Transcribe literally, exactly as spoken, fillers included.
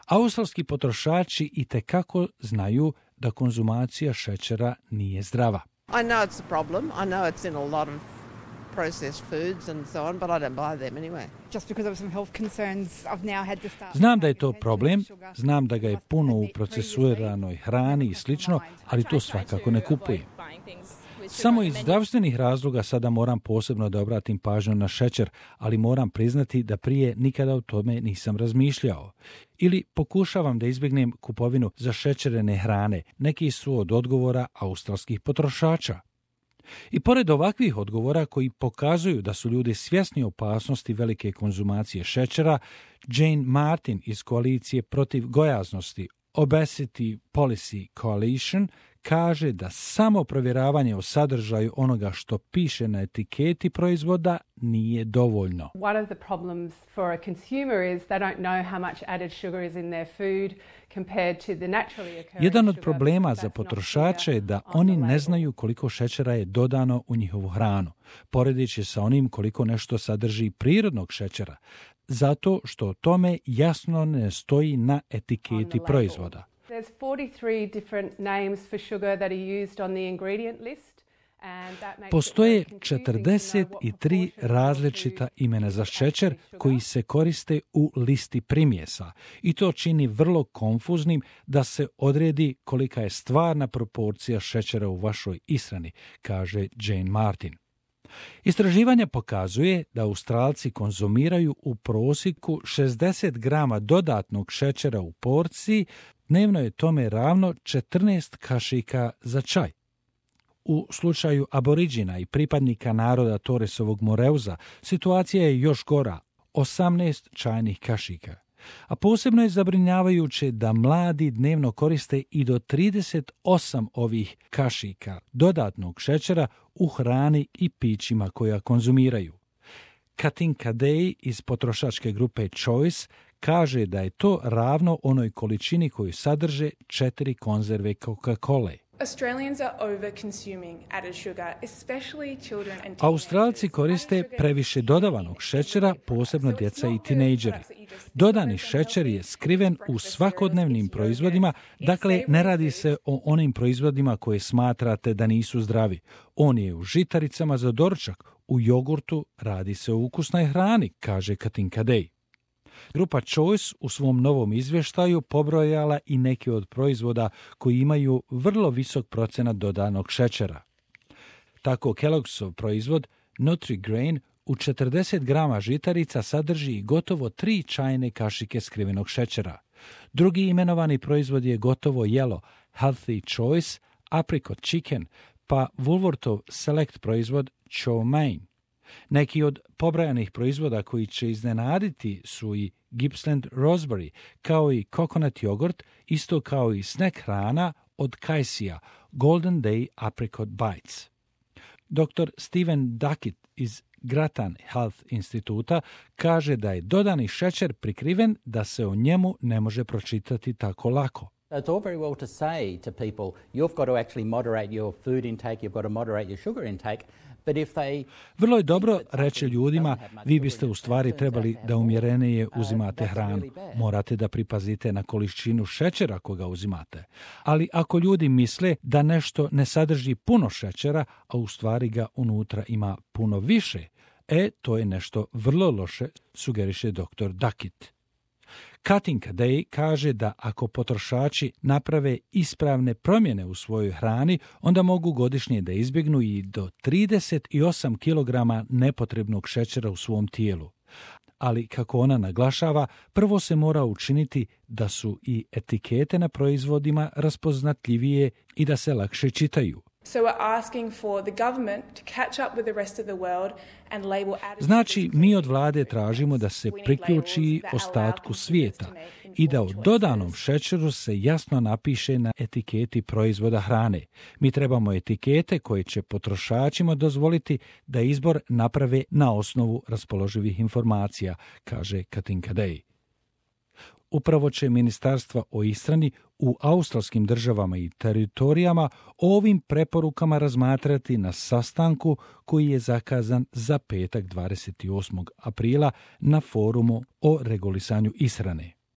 Australski potrošači itekako znaju da konzumacija šećera nije zdrava. I know it's a problem. I know it's in a lot of processed foods and so on, but I don't buy them anyway. Just because of some health concerns, I've now had to start. Znam da je to problem, znam da ga je puno u procesuiranoj hrani i slično, ali to svakako ne kupujem. Samo iz zdravstvenih razloga sada moram posebno da obratim pažnju na šećer, ali moram priznati da prije nikada o tome nisam razmišljao. Ili pokušavam da izbjegnem kupovinu zašećerene hrane. Neki su od odgovora australskih potrošača. I pored ovakvih odgovora koji pokazuju da su ljudi svjesni opasnosti velike konzumacije šećera, Jane Martin iz koalicije protiv gojaznosti Obesity Policy Coalition kaže da samo provjeravanje o sadržaju onoga što piše na etiketi proizvoda nije dovoljno. One of the problems for a consumer is they don't know how much added sugar is in their food compared to the naturally occurring. Jedan od problema za potrošače je da oni ne znaju koliko šećera je dodano u njihovu hranu, poredeći sa onim koliko nešto sadrži prirodnog šećera, zato što o tome jasno ne stoji na etiketi proizvoda. There's forty-three different names for sugar that are used on the ingredient list. Postoje četrdeset tri različita imena za šećer koji se koriste u listi primjesa i to čini vrlo konfuznim da se odredi kolika je stvarna proporcija šećera u vašoj ishrani, kaže Jane Martin. Istraživanje pokazuje da Australci konzumiraju u prosjeku šezdeset grama dodatnog šećera u porciji, dnevno je tome ravno četrnaest kašika za čaj. U slučaju aboriđina i pripadnika naroda Torresovog Moreuza situacija je još gora, osamnaest čajnih kašika. A posebno je zabrinjavajuće da mladi dnevno koriste i do trideset osam ovih kašika dodatnog šećera u hrani i pićima koja konzumiraju. Katinka Day iz potrošačke grupe Choice kaže da je to ravno onoj količini koju sadrže četiri konzerve Coca-Cole. Australci koriste previše dodavanog šećera, posebno djeca i tinejdžeri. Dodani šećer je skriven u svakodnevnim proizvodima, dakle ne radi se o onim proizvodima koje smatrate da nisu zdravi. On je u žitaricama za doručak, u jogurtu, radi se o ukusnoj hrani, kaže Katinka Day. Grupa Choice u svom novom izvještaju pobrojala i neke od proizvoda koji imaju vrlo visok procenat dodanog šećera. Tako Kellogg'sov proizvod Nutri-Grain u četrdeset grama žitarica sadrži gotovo tri čajne kašike skrivenog šećera. Drugi imenovani proizvod je gotovo jelo Healthy Choice Apricot Chicken, pa Woolworthov Select proizvod Chow Mein. Neki od pobrajanih proizvoda koji će iznenaditi su i Gippsland Raspberry, kao i coconut jogurt, isto kao i snack hrana od Kajsija, Golden Day Apricot Bites. doktor Stephen Duckett iz Grattan Health instituta kaže da je dodani šećer prikriven da se o njemu ne može pročitati tako lako. It's all very well to say to people, you've got to actually moderate your food intake, you've got to moderate your sugar intake, but if they... Vrlo je dobro reći ljudima, vi biste u stvari trebali da umjerenije uzimate hranu. Morate da pripazite na količinu šećera koga uzimate. Ali ako ljudi misle da nešto ne sadrži puno šećera, a u stvari ga unutra ima puno više, e, to je nešto vrlo loše, sugeriše doktor Duckett. Katinka Day kaže da ako potrošači naprave ispravne promjene u svojoj hrani, onda mogu godišnje da izbjegnu i do trideset osam kilograma nepotrebnog šećera u svom tijelu. Ali, kako ona naglašava, prvo se mora učiniti da su i etikete na proizvodima raspoznatljivije i da se lakše čitaju. Znači, mi od vlade tražimo da se priključi ostatku svijeta i da o dodanom šećeru se jasno napiše na etiketi proizvoda hrane. Mi trebamo etikete koje će potrošačima dozvoliti da izbor naprave na osnovu raspoloživih informacija, kaže Katinka Day. Upravo će ministarstva o ishrani u australskim državama i teritorijama o ovim preporukama razmatrati na sastanku koji je zakazan za petak dvadeset osmog aprila na forumu o regulisanju ishrane.